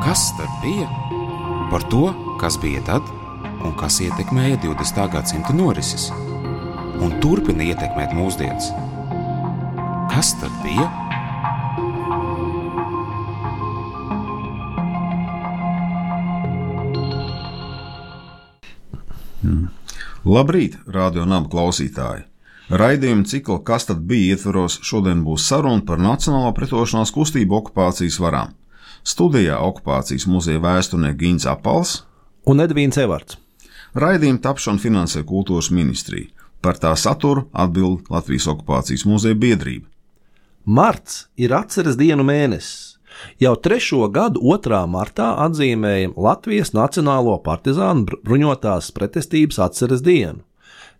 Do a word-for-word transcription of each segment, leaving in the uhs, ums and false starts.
Kas tad bija? Par to, kas bija tad un kas ietekmēja divdesmitā gadsimta norises un turpina ietekmēt mūsdienas. Kas tad bija? Hmm. Labrīt, Radio Naba klausītāji! Raidījuma cikla Kas tad bija ietvaros šodien būs saruna par Nacionālo pretošanās kustību okupācijas varām. Studijā okupācijas muzeja vēsturnieki Gins Apals un Edvīns Evarts. Raidījuma tapšanu finansē Kultūras ministrija. Par tā saturu atbild Latvijas okupācijas muzeja biedrība. Marts ir atceres dienu mēnesis. Jau trešo gadu otrā martā atzīmējam Latvijas Nacionālo partizānu bruņotās pretestības atceres dienu,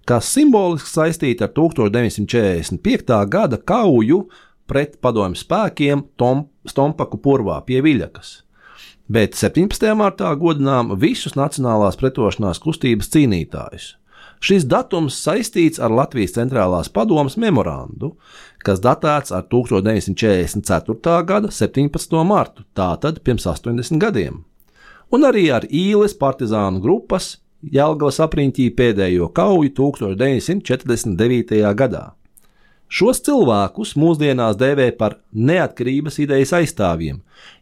kas simboliski saistīta ar deviņdesmit četrdesmit piekta gada kauju pret padomju spēkiem Tom, Stompaku purvā pie Viļakas. Bet septiņpadsmitajā martā godinām visus Nacionālās pretošanās kustības cīnītājus. Šis datums saistīts ar Latvijas centrālās padomes memorandu, kas datēts ar deviņdesmit četrdesmit ceturtā gada septiņpadsmito martu, tātad pirms astoņdesmit gadiem. Un arī ar Īles partizānu grupas Jelgavas apriņķī pēdējo kauju deviņdesmit četrdesmit devītajā gadā. Šos cilvēkus mūsdienās dēvē par neatkarības idejas aizstāvjiem,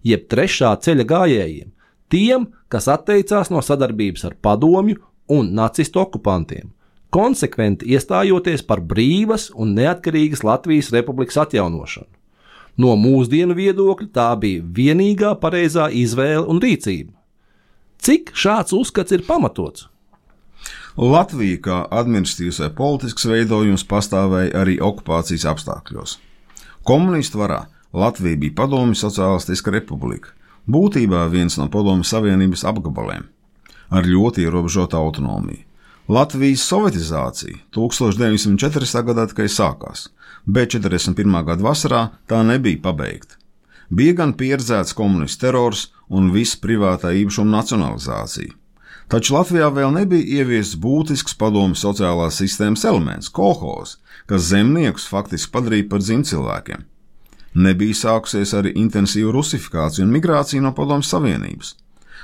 jeb trešā ceļa gājējiem, tiem, kas atteicās no sadarbības ar padomju un nacistu okupantiem, konsekventi iestājoties par brīvas un neatkarīgas Latvijas republikas atjaunošanu. No mūsdienu viedokļa tā bija vienīgā pareizā izvēle un rīcība. Cik šāds uzskats ir pamatots? Latvija kā administratīvs vai politisks veidojums pastāvēja arī okupācijas apstākļos. Komunistu varā Latvija bija Padomju Sociālistiska republika, būtībā viens no Padomju Savienības apgabaliem, ar ļoti ierobežotu autonomiju. Latvijas sovietizācija deviņdesmit četrdesmitā gadā tikai sākās, bet četrdesmit pirmā gada vasarā tā nebija pabeigta. Bija gan pieredzēts komunistu terors un viss privātā īpašuma nacionalizācija. Taču Latvijā vēl nebija ieviests būtisks padomju sociālās sistēmas elements – kolhoz, kas zemniekus faktiski padarīja par dzimtcilvēkiem. Nebija sākusies arī intensīva rusifikācija un migrācija no Padomju Savienības.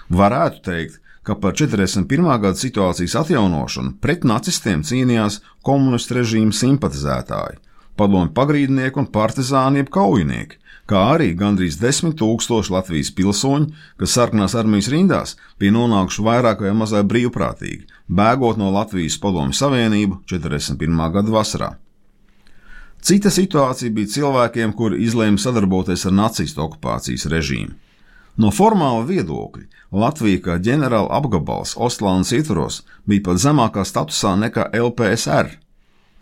Varētu teikt, ka par četrdesmit pirmā gada situācijas atjaunošanu pret nacistiem cīnījās komunistu režīmu simpatizētāji, padomju pagrīdnieki un partizāni jeb kaujinieki, kā arī gandrīz desmit tūkstoši Latvijas pilsoņi, kas sarkanās armijas rindās, bija nonākuši vairāk vai mazāk brīvprātīgi, bēgot no Latvijas Padomju Savienību četrdesmit pirmā gada vasarā. Cita situācija bija cilvēkiem, kuri izlēma sadarboties ar nacistu okupācijas režīmu. No formāla viedokļa Latvija kā ģenerāla apgabals Ostlandes ietvaros bija pat zemākā statusā nekā L P S R,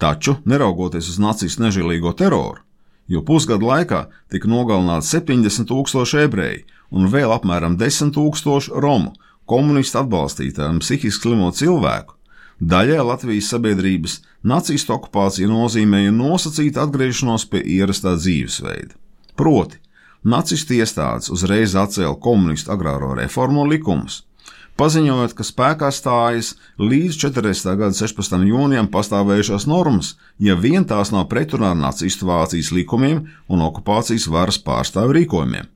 taču, neraugoties uz nacistu nežēlīgo teroru, jo pusgadu laikā tika nogalināti septiņdesmit tūkstoši ebreji un vēl apmēram desmit tūkstoši romu, komunistu atbalstītāju un psihiski slimo cilvēku, daļai Latvijas sabiedrības nacistu okupācija nozīmēja nosacītu atgriešanos pie ierastā dzīvesveida. Proti, nacistu iestādes uzreiz atcēla komunistu agrāro reformu likumus, paziņojot, ka spēkā stājas līdz četrdesmitā gada sešpadsmitajam jūnijam pastāvējušās normas, ja vien tās nav pretrunā ar nacistu Vācijas likumiem un okupācijas varas pārstāvju rīkojumiem.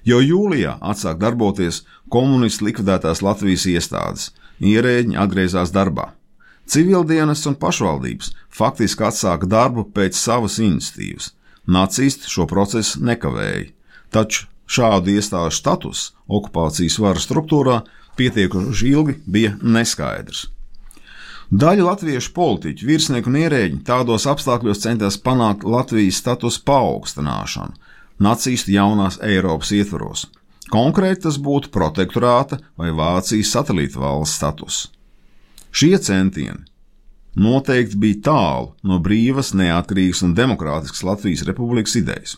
Jau jūlijā atsāk darboties komunistu likvidētās Latvijas iestādes, ierēģiņi atgriezās darbā. Civildienas un pašvaldības faktiski atsāka darbu pēc savas iniciatīvas. Nacisti šo procesu nekavēja, taču šādu iestāžu status okupācijas varas struktūrā pietiekuši ilgi bija neskaidrs. Daļa latviešu politiķu, virsnieku un ierēģi tādos apstākļos centās panākt Latvijas statusa paaugstināšanu nacistu jaunās Eiropas ietvaros. Konkrēti tas būtu protektorāta vai Vācijas satelīta valsts status. Šie centieni noteikti bija tālu no brīvas, neatkarīgas un demokrātiskas Latvijas republikas idejas.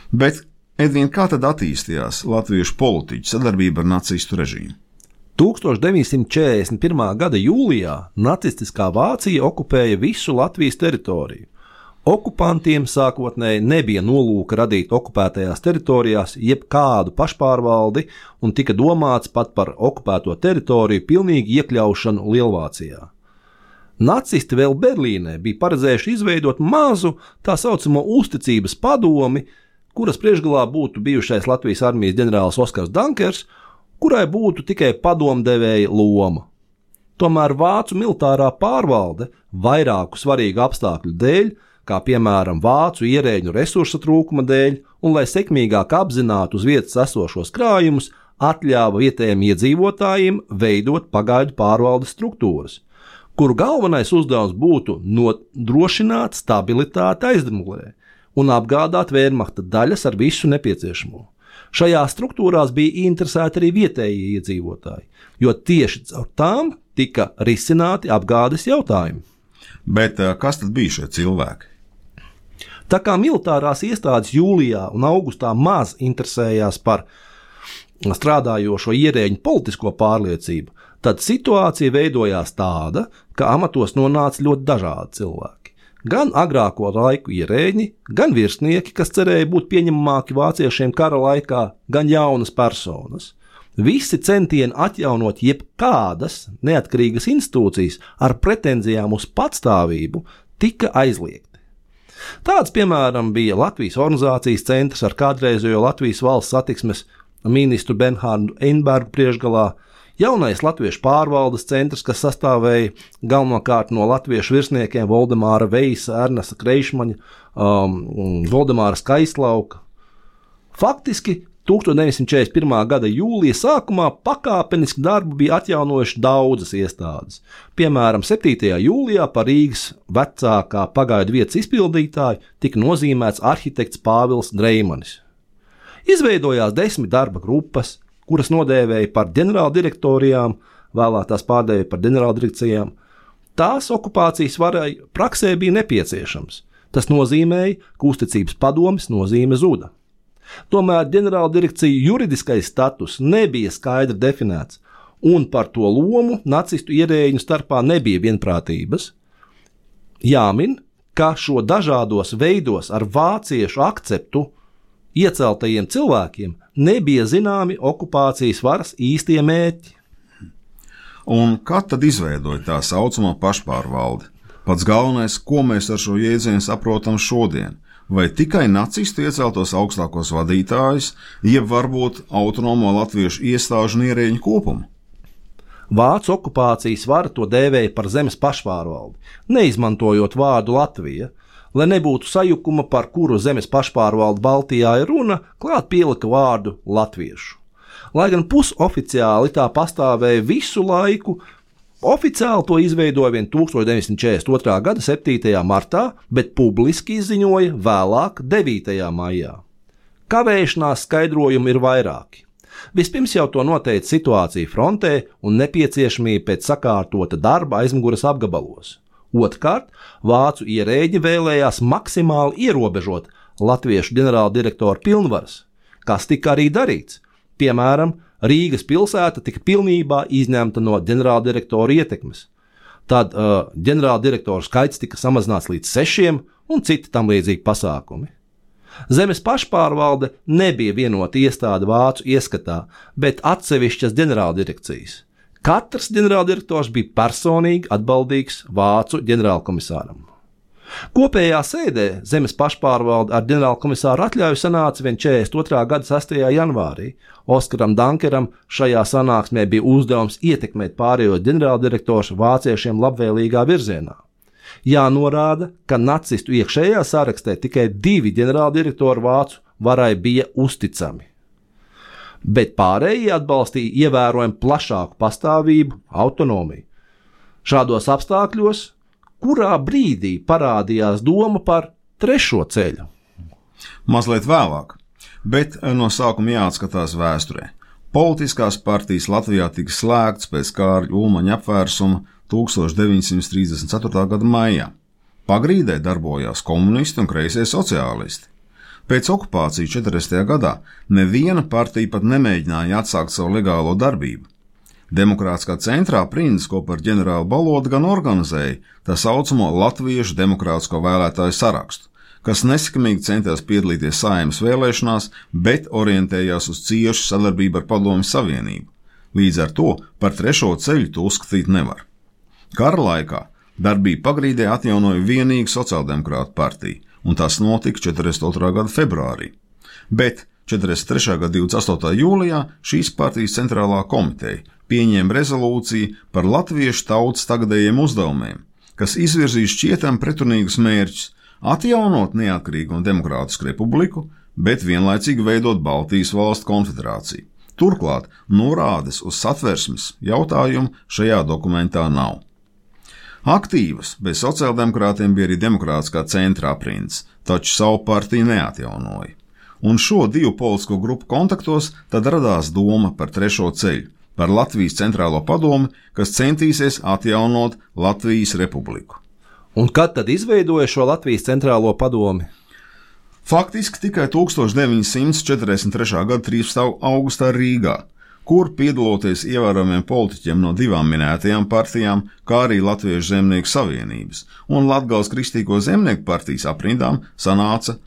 Bet Edvīn, kā tad attīstījās latviešu politiķu sadarbība ar nacistu režīmu? deviņdesmit četrdesmit pirmā gada jūlijā nacistiskā Vācija okupēja visu Latvijas teritoriju. Okupantiem sākotnēji nebija nolūka radīt okupētajās teritorijās jebkādu pašpārvaldi un tika domāts pat par okupēto teritoriju pilnīgi iekļaušanu Lielvācijā. Nacisti vēl Berlīnē bija paredzējuši izveidot mazu tā saucamo uzticības padomi, kuras priekšgalā būtu bijušais Latvijas armijas ģenerālis Oskars Dankers, kurai būtu tikai padomdevēja loma. Tomēr vācu militārā pārvalde vairāku svarīgu apstākļu dēļ, kā piemēram vācu ierēģu resursa trūkuma dēļ, un lai sekmīgāk apzinātu uz vietas esošos krājumus, atļāva vietējiem iedzīvotājiem veidot pagaidu pārvaldes struktūras, kuru galvenais uzdevums būtu nodrošināt stabilitāti Aizdemulē un apgādāt Wehrmachta daļas ar visu nepieciešamo. Šajās struktūrās bija interesēti arī vietējie iedzīvotāji, jo tieši caur tām tika risināti apgādes jautājumi. Bet kas tad bija šie cilvēki? Tā kā militārās iestādes jūlijā un augustā maz interesējās par strādājošo ierēģu politisko pārliecību, tad situācija veidojās tāda, ka amatos nonāca ļoti dažādi cilvēki. Gan agrāko laiku ierēģi, gan virsnieki, kas cerēja būt pieņemamāki vāciešiem kara laikā, gan jaunas personas. Visi centieni atjaunot jebkādas neatkarīgas institūcijas ar pretenzijām uz patstāvību tika aizliegti. Tāds, piemēram, bija Latvijas organizācijas centrs ar kādreizējo Latvijas valsts satiksmes ministru Bernhārdu Einbergu priekšgalā, jaunais latviešu pārvaldes centrs, kas sastāvēja galvenokārt no latviešu virsniekiem Voldemāra Veisa, Ernesta Kreišmaņa, um, Voldemāra Skaistlauka. Faktiski tusenč deviņsimt četrdesmit pirmā gada jūlija sākumā pakāpeniski darbu bija atjaunojuši daudzas iestādes. Piemēram, septītajā jūlijā par Rīgas vecākā pagaidu vietas izpildītāju tika nozīmēts arhitekts Pāvils Dreimanis. Izveidojās desmit darba grupas, kuras nodēvēja par ģenerāldirektorijām, vēlāk tās pārdēvēja par ģenerāldirekcijām. Tās okupācijas varai praksē bija nepieciešams. Tas nozīmēja, ka uzticības padomes nozīme zuda. Tomēr ģenerāldirekciju juridiskais status nebija skaidri definēts, un par to lomu nacistu ierēģu starpā nebija vienprātības. Jāmin, ka šo dažādos veidos ar vāciešu akceptu ieceltajiem cilvēkiem nebija zināmi okupācijas varas īstie mērķi. Un kad tad izveidoja tā saucamā pašpārvalde? Pats galvenais, ko mēs ar šo jēdzienu saprotam šodien, vai tikai nacistu ieceltos augstākos vadītājus, jeb varbūt autonomo latviešu iestāžu un ierēģu kopumu? Vācu okupācijas vara to dēvēja par zemes pašpārvaldi, neizmantojot vārdu Latvija. Lai nebūtu sajukuma, par kuru zemes pašpārvaldu Baltijā ir runa, klāt pielika vārdu latviešu. Lai gan pusoficiāli tā pastāvēja visu laiku, oficiāli to izveidoja vien tusenč deviņsimt četrdesmit otrā gada septītajā martā, bet publiski izziņoja vēlāk devītajā maijā. Kavēšanās skaidrojumi ir vairāki. Vispirms jau to noteica situācija frontē un nepieciešamība pēc sakārtota darba aizmugures apgabalos. Otrkārt, vācu ierēģi vēlējās maksimāli ierobežot latviešu ģenerāldirektoru pilnvaras, kas tika arī darīts. Piemēram, Rīgas pilsēta tika pilnībā izņemta no ģenerāldirektora ietekmes. Tad uh, ģenerāldirektoru skaits tika samazināts līdz sešiem un citi tam līdzīgi pasākumi. Zemes pašpārvalde nebija vienota iestāde vācu ieskatā, bet atsevišķas ģenerāldirekcijas. Katrs ģenerāldirektors bija personīgi atbildīgs vācu ģenerālkomisāram. Kopējā sēdē zemes pašpārvalde ar ģenerālkomisāru atļauju sanāca vien četrdesmit otrā gada sastajā janvārī. Oskaram Dankeram šajā sanāksmē bija uzdevums ietekmēt pārējos ģenerāldirektors vāciešiem labvēlīgā virzienā. Jānorāda, ka nacistu iekšējā sarakstē tikai divi ģenerāldirektori vācu varai bija uzticami, bet pārējie atbalstīja ievērojami plašāku pastāvību, autonomiju. Šādos apstākļos, kurā brīdī parādījās doma par trešo ceļu? Mazliet vēlāk, bet no sākuma jāatskatās vēsturē. Politiskās partijas Latvijā tika slēgts pēc Kārļa Ulmaņa apvērsuma tusenč deviņsimt trīsdesmit ceturtā gada maijā. Pagrīdē darbojās komunisti un kreisie sociālisti. Pēc okupācijas četrdesmitajā gadā neviena partija pat nemēģināja atsākt savu legālo darbību. Demokrātiskā centrā Prindis kopā ar ģenerāli Balodu gan organizēja tā saucamo Latviešu demokrātisko vēlētāju sarakstu, kas nesekmīgi centās piedalīties Saeimas vēlēšanās, bet orientējās uz ciešu sadarbību ar Padomju Savienību. Līdz ar to par trešo ceļu to uzskatīt nevar. Kara laikā darbību Pagrīdē atjaunoja vienīgi sociāldemokrātu partija, un tas notika četrdesmit otrā gada februārī. Bet četrdesmit trešā gada divdesmit astotā jūlijā šīs partijas centrālā komiteja pieņēma rezolūciju par latviešu tautas tagadējiem uzdevumiem, kas izvirzīja šķietam pretrunīgus mērķus atjaunot neatkarīgu un demokrātisku republiku, bet vienlaicīgi veidot Baltijas valstu konfederāciju. Turklāt norādes uz satversmes jautājumu šajā dokumentā nav. Aktīvas bez sociāldemokrātiem bija arī demokrātiskā centra aprindas, taču savu partiju neatjaunoja. Un šo divu politisko grupu kontaktos tad radās doma par trešo ceļu, par Latvijas centrālo padomi, kas centīsies atjaunot Latvijas republiku. Un kad tad izveidoja šo Latvijas centrālo padomi? Faktiski tikai tūkstoš deviņi simti četrdesmit trešā gada trīspadsmitā augustā Rīgā, kur piedaloties ievērojamiem politiķiem no divām minētajām partijām, kā arī Latviešu zemnieku savienības un Latgales Kristīgo zemnieku partijas aprindām, sanāca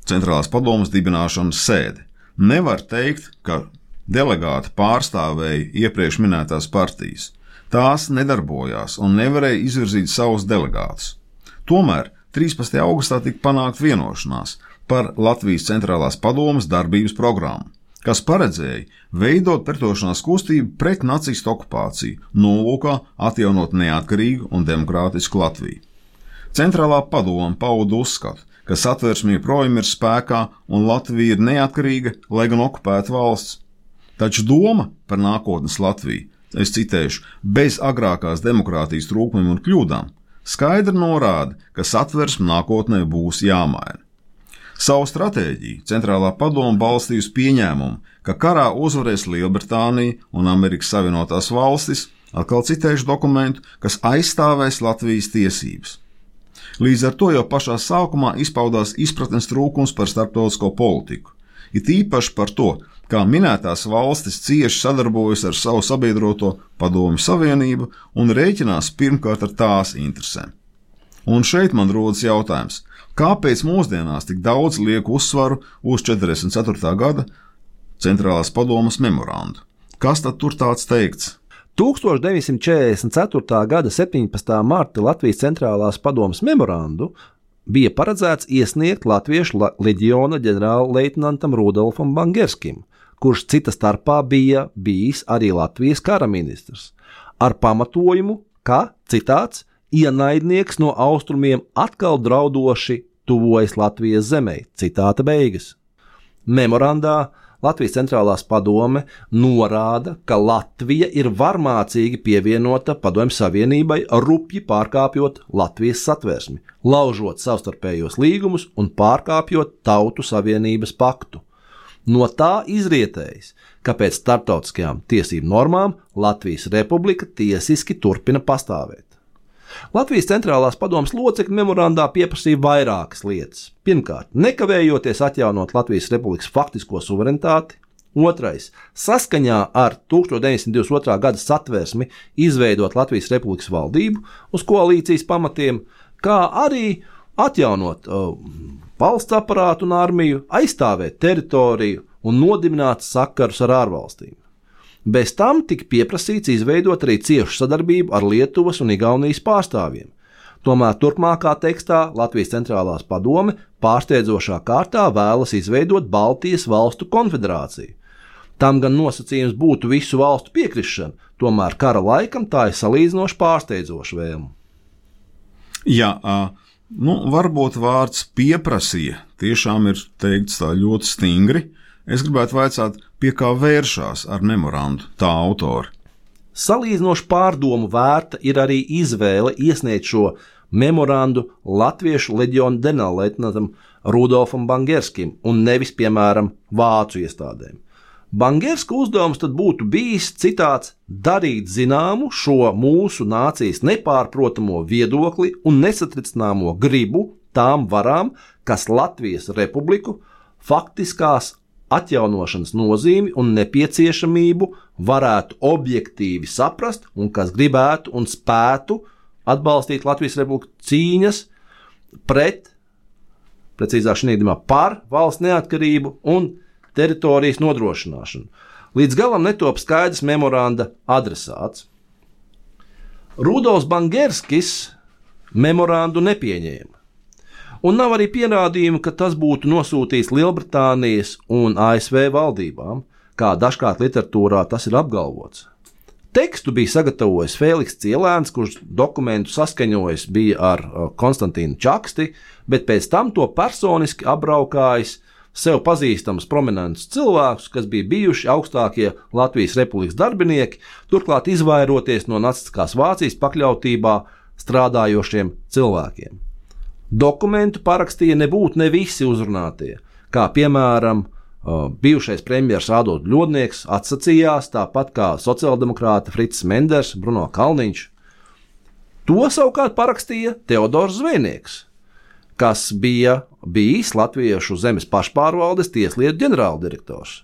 centrālās padomes dibināšanas sēde. Nevar teikt, ka delegāti pārstāvēja iepriekš minētās partijas. Tās nedarbojās un nevarēja izvirzīt savus delegātus. Tomēr trīspadsmitajā augustā tika panākt vienošanās par Latvijas centrālās padomes darbības programmu, kas paredzēja veidot pretošanās kustību pret nacistu okupāciju, nolūkā atjaunot neatkarīgu un demokrātisku Latviju. Centrālā padome pauda uzskatu, ka satversme joprojām ir spēkā un Latvija ir neatkarīga, lai gan okupēta valsts. Taču doma par nākotnes Latviju, es citēšu, bez agrākās demokrātijas trūkumiem un kļūdām, skaidri norāda, ka satversme nākotnē būs jāmaina. Savu stratēģiju centrālā padome balstīja uz pieņēmumu, ka karā uzvarēs Lielbritānija un Amerikas Savienotās valstis, atkal citēšu dokumentu, kas aizstāvēs Latvijas tiesības. Līdz ar to jau pašā sākumā izpaudās izpratnes trūkums par starptautisko politiku, it īpaši par to, kā minētās valstis cieši sadarbojas ar savu sabiedroto Padomju Savienību un rēķinās pirmkārt ar tās interesēm. Un šeit man rodas jautājums, kāpēc mūsdienās tik daudz liek uzsvaru uz četrdesmit ceturtā gada centrālās padomes memorandu? Kas tad tur tāds teikts? tūkstoš deviņsimt četrdesmit ceturtā gada septiņpadsmitā marta Latvijas centrālās padomes memorandu bija paredzēts iesniegt Latviešu leģiona ģenerālleitnantam Rudolfam Bangerskim, kurš cita starpā bija bijis arī Latvijas kara ministrs, ar pamatojumu, ka, citāts, ienaidnieks no austrumiem atkal draudoši tuvojas Latvijas zemē, citāta beigas. Memorandā Latvijas centrālās padome norāda, ka Latvija ir varmācīgi pievienota Padomju Savienībai, rupji pārkāpjot Latvijas satversmi, laužot savstarpējos līgumus un pārkāpjot Tautu Savienības paktu. No tā izrietējis, ka pēc starptautiskajām tiesību normām Latvijas republika tiesiski turpina pastāvēt. Latvijas centrālās padomes locekļi memorandā pieprasīja vairākas lietas. Pirmkārt, nekavējoties atjaunot Latvijas republikas faktisko suverenitāti. Otrais, saskaņā ar tūkstoš deviņsimt divdesmit otrā gada satversmi izveidot Latvijas republikas valdību uz koalīcijas pamatiem, kā arī atjaunot uh, valsts aparātu un armiju, aizstāvēt teritoriju un nodibināt sakarus ar ārvalstīm. Bez tam tika pieprasīts izveidot arī ciešu sadarbību ar Lietuvas un Igaunijas pārstāvjiem. Tomēr turpmākā tekstā Latvijas centrālās padome pārsteidzošā kārtā vēlas izveidot Baltijas valstu konfederāciju. Tam gan nosacījums būtu visu valstu piekrišana, tomēr kara laikam tā ir salīdzinoši pārsteidzoša vēlme. Jā, nu, varbūt vārds pieprasīja tiešām ir teikts tā ļoti stingri. Es gribētu vaicāt, pie kā vēršās ar memorandu tā autori. Salīdzinoši pārdomu vērta ir arī izvēle iesniegt šo memorandu Latviešu leģiona ģenerālleitnantam Rudolfam Bangerskim un nevis, piemēram, vācu iestādēm. Bangerska uzdevums tad būtu bijis, citāts, darīt zināmu šo mūsu nācijas nepārprotamo viedokli un nesatricināmo gribu tām varām, kas Latvijas republiku faktiskās atjaunošanas nozīmi un nepieciešamību varētu objektīvi saprast un kas gribētu un spētu atbalstīt Latvijas republiku cīņas pret, precīzāk šī gadījumā par valsts neatkarību un teritorijas nodrošināšanu. Līdz galam netop skaidrs memoranda adresāts. Rudolfs Bangerskis memorandu nepieņēma. Un nav arī pierādījumu, ka tas būtu nosūtīts Lielbritānijas un A S V valdībām, kā dažkārt literatūrā tas ir apgalvots. Tekstu bija sagatavojis Fēliks Cielēns, kurš dokumentu saskaņojis bija ar Konstantīnu Čaksti, bet pēc tam to personiski apbraukājis sev pazīstamus prominentus cilvēkus, kas bija bijuši augstākie Latvijas Republikas darbinieki, turklāt izvairoties no nacistiskās Vācijas pakļautībā strādājošiem cilvēkiem. Dokumentu parakstīja nebūtu ne visi uzrunātie, kā piemēram bijušais premjers Ādolfs Ļodnieks atsacījās, tāpat kā sociāldemokrāti Frits Menders, Bruno Kalniņš. To savukārt parakstīja Teodors Zvejnieks, kas bija bijis Latviešu zemes pašpārvaldes tieslietu ģenerāldirektors.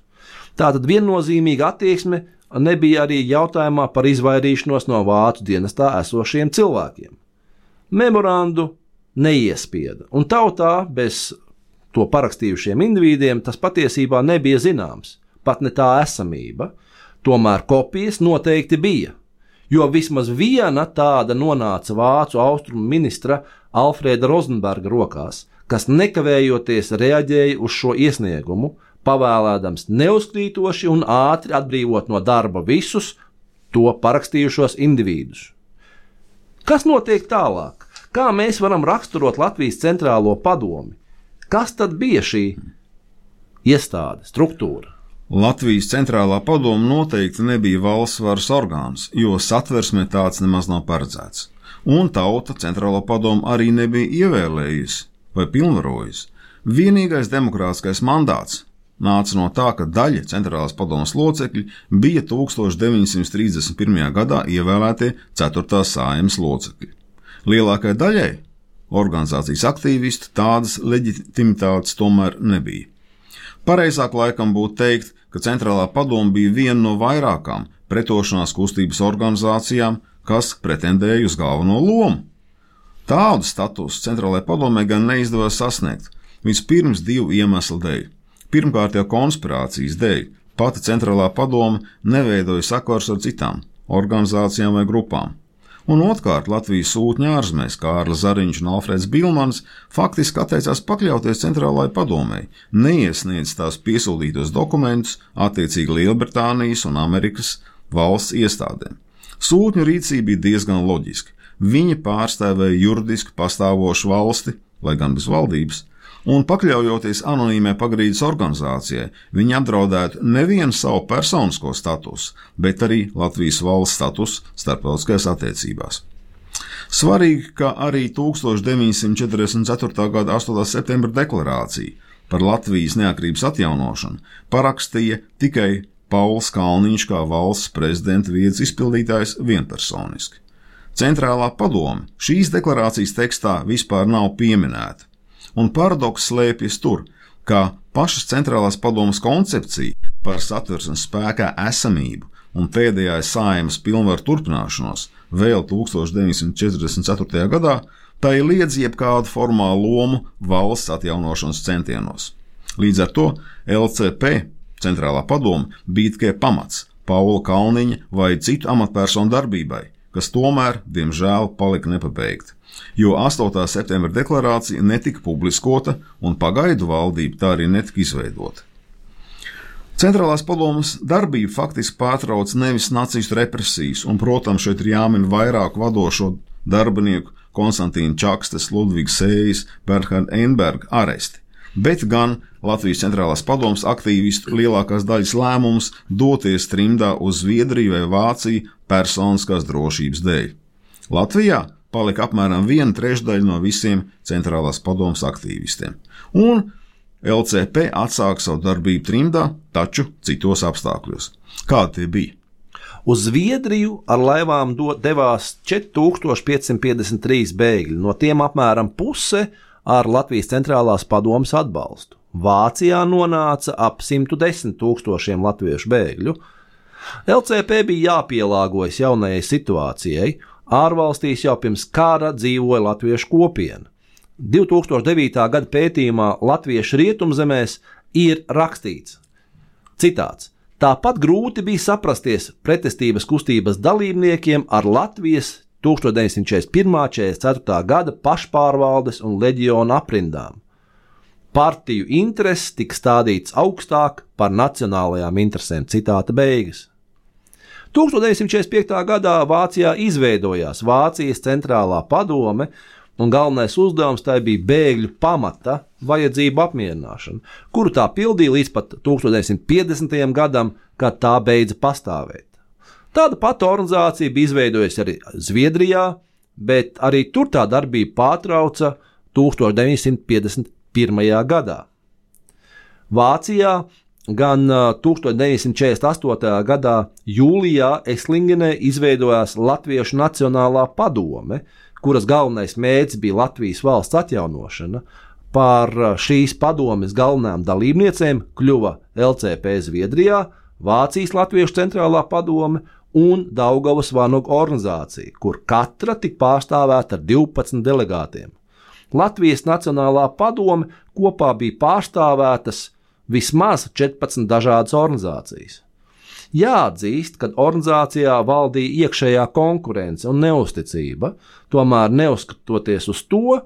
Tātad viennozīmīga attieksme nebija arī jautājumā par izvairīšanos no vācu dienestā esošiem cilvēkiem. Memorandu neiespieda, un tautā bez to parakstījušiem indivīdiem tas patiesībā nebija zināms, pat ne tā esamība, tomēr kopijas noteikti bija, jo vismaz viena tāda nonāca vācu austrumu ministra Alfrēda Rozenberga rokās, kas nekavējoties reaģēja uz šo iesniegumu, pavēlēdams neuzkrītoši un ātri atbrīvot no darba visus to parakstījušos individus. Kas notiek tālāk? Kā mēs varam raksturot Latvijas centrālo padomi? Kas tad bija šī iestāde, struktūra? Latvijas centrālā padoma noteikti nebija valsts varas orgāns, jo satversmē tāds nemaz nav paredzēts. Un tauta centrālo padomu arī nebija ievēlējusi vai pilnvarojusi. Vienīgais demokrātiskais mandāts nāca no tā, ka daļa centrālās padomas locekļi bija tūkstoš deviņi simti trīsdesmit pirmajā gadā ievēlētie ceturtās Saeimas locekļi. Lielākai daļai organizācijas aktīvistu tādas leģitimitātes tomēr nebija. Pareizāk laikam būtu teikt, ka centrālā padoma bija viena no vairākām pretošanās kustības organizācijām, kas pretendēja uz galveno lomu. Tādu statusu centrālajai padomē gan neizdevās sasniegt, vispirms divu iemeslu dēļ. Pirmkārt jau konspirācijas dēļ pati centrālā padome neveidoja sakars ar citām organizācijām vai grupām. Un otrkārt, Latvijas sūtņi ārzemēs Kārlis Zariņš un Alfrēds Bilmans faktiski atteicās pakļauties centrālajai padomei, neiesniedz tās piesūtītos dokumentus attiecīgi Lielbritānijas un Amerikas valsts iestādēm. Sūtņu rīcība bija diezgan loģiska. Viņi pārstāvēja juridiski pastāvošu valsti, lai gan bez valdības, un pakļaujoties anonīmai pagrīdes organizācijai, viņi apdraudētu nevienu savu personisko statusu, bet arī Latvijas valsts statusu starptautiskajās attiecībās. Svarīgi, ka arī tūkstoš deviņi simti četrdesmit ceturtā gada astotā septembra deklarācija par Latvijas neatkarības atjaunošanu parakstīja tikai Pauls Kalniņš kā valsts prezidenta vietas izpildītājs vienpersoniski. Centrālā padome šīs deklarācijas tekstā vispār nav pieminēta. Un paradoks slēpjas tur, ka pašas centrālās padomes koncepcija par satversmes spēkā esamību un pēdējās Saeimas pilnvaru turpināšanos vēl tūkstoš deviņi simti četrdesmit ceturtajā gadā, tā ir liedz jebkādu formālu lomu valsts atjaunošanas centienos. Līdz ar to L C P, centrālā padome, bija tikai pamats Paula Kalniņa vai citu amatpersonu darbībai, kas tomēr, diemžēl, palika nepabeigta. Jo astotā septembra deklarācija netika publiskota un pagaidu valdība tā arī netika izveidota. Centrālās padomes darbību faktiski pārtrauc nevis nacistu represijas, un, protams, šeit ir jāmin vairāk vadošo darbinieku Konstantīna Čakstes, Ludvigs Sējas, Bernharda Einberga aresti, bet gan Latvijas centrālās padomes aktīvistu lielākās daļas lēmums doties trimdā uz Zviedriju vai Vāciju personiskās drošības dēļ. Latvijā palika apmēram viena trešdaļa no visiem centrālās padomes aktīvistiem, un L C P atsāka savu darbību trimdā, taču citos apstākļos. Kādi tie bija? Uz Zviedriju ar laivām devās četri tūkstoši pieci simti piecdesmit trīs bēgļi, no tiem apmēram puse ar Latvijas centrālās padomes atbalstu. Vācijā nonāca ap simt desmit tūkstošiem latviešu bēgļu. L C P bija jāpielāgojas jaunajai situācijai. Ārvalstīs jau pirms kara dzīvoja latviešu kopiena. divi tūkstoši devītā gada pētījumā Latviešu rietumzemēs ir rakstīts, citāts, tāpat grūti bija saprasties pretestības kustības dalībniekiem ar Latvijas tuldstoš deviņsimt četrdesmit pirmā un četrdesmit ceturtā gada pašpārvaldes un leģiona aprindām. Partiju intereses tika stādīts augstāk par nacionālajām interesēm. Citāta beigas. tuldstoš deviņsimt četrdesmit piektajā gadā Vācijā izveidojās Vācijas centrālā padome, un galvenais uzdevums tai bija bēgļu pamata vajadzību apmierināšana, kuru tā pildīja līdz pat tuldstoš deviņsimt piecdesmitajam gadam, kad tā beidza pastāvēt. Tāda pati organizācija bija izveidojusi arī Zviedrijā, bet arī tur tā darbība pārtrauca tuldstoš deviņsimt piecdesmit pirmajā gadā. Vācijā gan tuldstoš deviņsimt četrdesmit astotajā gadā jūlijā Eslingenē izveidojās Latviešu Nacionālā padome, kuras galvenais mērķis bija Latvijas valsts atjaunošana. Par šīs padomes galvenajām dalībniecēm kļuva L C P Zviedrijā, Vācijas Latviešu centrālā padome un Daugavas vanagu organizācija, kur katra tika pārstāvēta ar divpadsmit delegātiem. Latvijas Nacionālā padome kopā bija pārstāvētas vismaz četrpadsmit dažādas organizācijas. Jāatzīst, ka organizācijā valdīja iekšējā konkurence un neusticība, tomēr neuzskatoties uz to,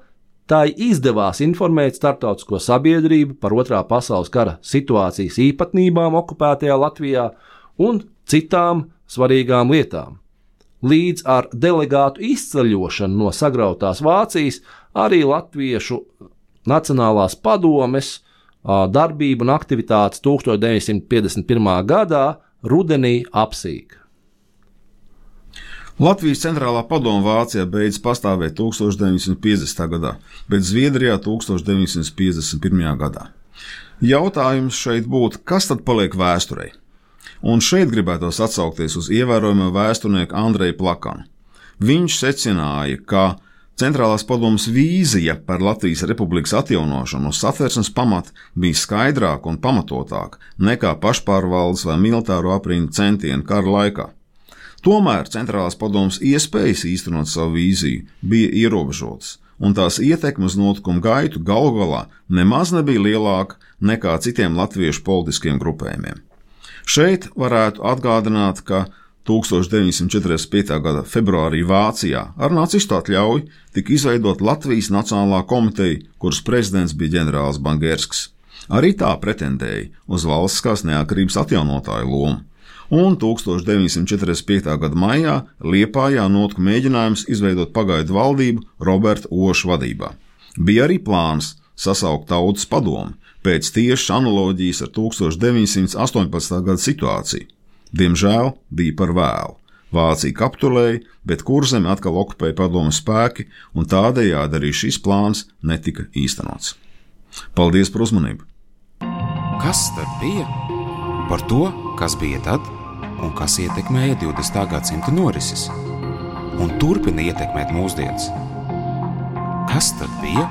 tai izdevās informēt starptautisko sabiedrību par otrā pasaules kara situācijas īpatnībām okupētajā Latvijā un citām svarīgām lietām. Līdz ar delegātu izceļošanu no sagrautās Vācijas arī Latviešu Nacionālās padomes darbība un aktivitātes tuldstoš deviņsimt piecdesmit pirmā gadā rudenī apsīk. Latvijas centrālā padome Vācijā beidz pastāvēt tuldstoš deviņsimt piecdesmitajā gadā, bet Zviedrijā tuldstoš deviņsimt piecdesmit pirmajā gadā. Jautājums šeit būtu, kas tad paliek vēsturei? Un šeit gribētos atsaukties uz ievērojamo vēsturnieku Andreju Plakanu. Viņš secināja, ka Centrālās padomes vīzija par Latvijas republikas atjaunošanu uz satversmes pamata bija skaidrāka un pamatotāka nekā pašpārvaldes vai militāro aprindu centieni kara laikā. Tomēr Centrālās padomes iespējas īstenot savu vīziju bija ierobežotas, un tās ietekme uz notikumu gaitu galu galā nemaz nebija lielāka nekā citiem latviešu politiskiem grupējumiem. Šeit varētu atgādināt, ka tuldstoš deviņsimt četrdesmit piektajā gada februārī Vācijā ar nacistu atļauju tika izveidot Latvijas Nacionālā komiteja, kuras prezidents bija ģenerālis Bangersks. Arī tā pretendēja uz valstiskās neatkarības atjaunotāju lomu. Un tuldstoš deviņsimt četrdesmit piektajā gada maijā Liepājā notika mēģinājums izveidot pagaidu valdību Roberta Oša vadībā. Bija arī plāns sasaukt tautas padomi pēc tiešas analoģijas ar tuldstoš deviņsimt astoņpadsmitā gada situāciju. Diemžēl bija par vēlu. Vācija kapitulēja, bet Kurzemi atkal okupēja padomes spēki, un tādējādi arī šis plāns netika īstenots. Paldies par uzmanību! Kas tad bija? Par to, kas bija tad un kas ietekmēja divdesmitā gadsimta norises un turpina ietekmēt mūsdienas. Kas tad bija?